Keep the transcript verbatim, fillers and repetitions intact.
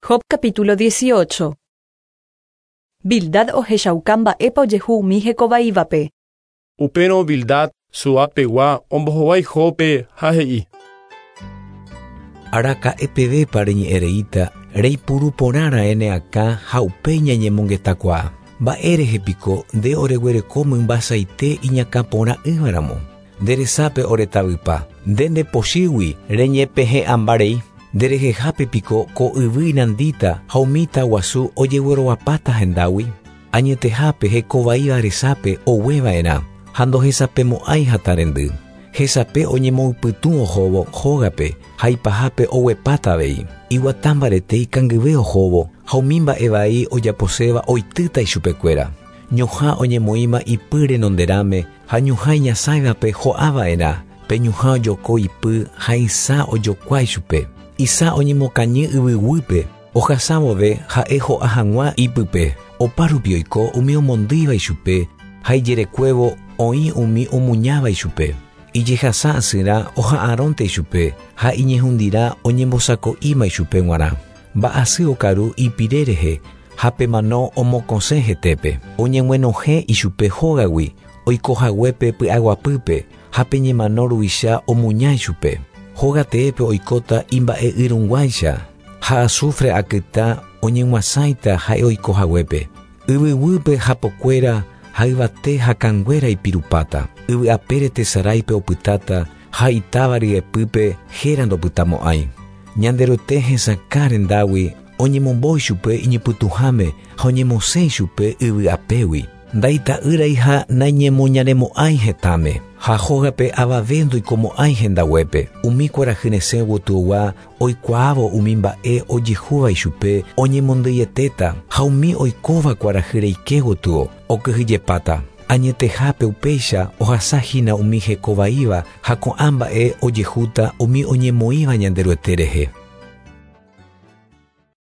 Job capítulo dieciocho. Bildad ohechauka mba'épa ojehu umi hekovaívape. Upérõ Bildad Suapegua ombohovái Jóbpe ha he'i. Araka'epevépa reñe'ẽreíta reipuru porãra'e ne akã ha upéi ñañemongetakuaa. Mba'érehe piko nde oreguereko mymbasaite iñakãporã'ỹvaramo. Nde resápe oretavypa. Nde ndepochýgui reñepehe'ãmbarei. Nderehehápe piko ko yvy inandíta ha umi taguasu ojeguerovapáta hendágui. Añetehápe hekovaíva resápe ogueva'erã ha ndohesapemo'ãi hatarendy. Hesape oñemoypytũ ohóvo hógape ha ipahápe oguepáta avei. Iguata mbarete ikangyve ohóvo ha umi mba'e vai ojaposéva oitýta ichupekuéra. Ñohã oñemoĩma ipy renonderãme ha ñuhã iñasãivape ho'ava'erã. Pe ñuhã ojoko ipy ha isã ojokua ichupe. Isã oñemokañy yvyguýpe ohasa vove ha'e ho'a hag̃ua ipype. Opárupi oiko umi omondýiva ichupe ha ijerekuévo oĩ umi omuñáva ichupe. Ijehasa asyrã oha'arõnte ichupe ha iñehundirã oñembosako'íma ichupe g̃uarã. Mba'asy okaru ipire rehe ha pemano omokõsẽ hetépe. Oñeg̃uenohẽ ichupe hógagui oikohaguépe py'aguapýpe ha pe ñemano ruvicha omuña ichupe. Hóga teépe oikóta imba'e'yrõguáicha ha azufre akytã oñeg̃uasãita ha'e oikohaguépe. Yvyguýpe hapokuéra ha yvate hakãnguéra ipirupáta. Yvy'apére tesaráipe opytáta ha itáva ryepýpe héra ndopytamo'ãi. Ñanderuete hesakã rendágui oñemombo ichupe iñepytũháme ha oñemosẽ ichupe yvy'apégui. Ndaita'ýrai ha naiñemoñaremo'ãi hetãme ha hógape avave ndoikomo'ãi hendaguépe. Umi kuarahy resẽ gotyogua oikuaávo umi mba'e ojehúva ichupe oñemondyietéta ha umi oikóva kuarahy reike gotyo okyhyjepáta. Añetehápe upéicha ohasahína umi hekovaíva ha ko'ã mba'e ojehúta umi oñemoĩva Ñanderuete rehe.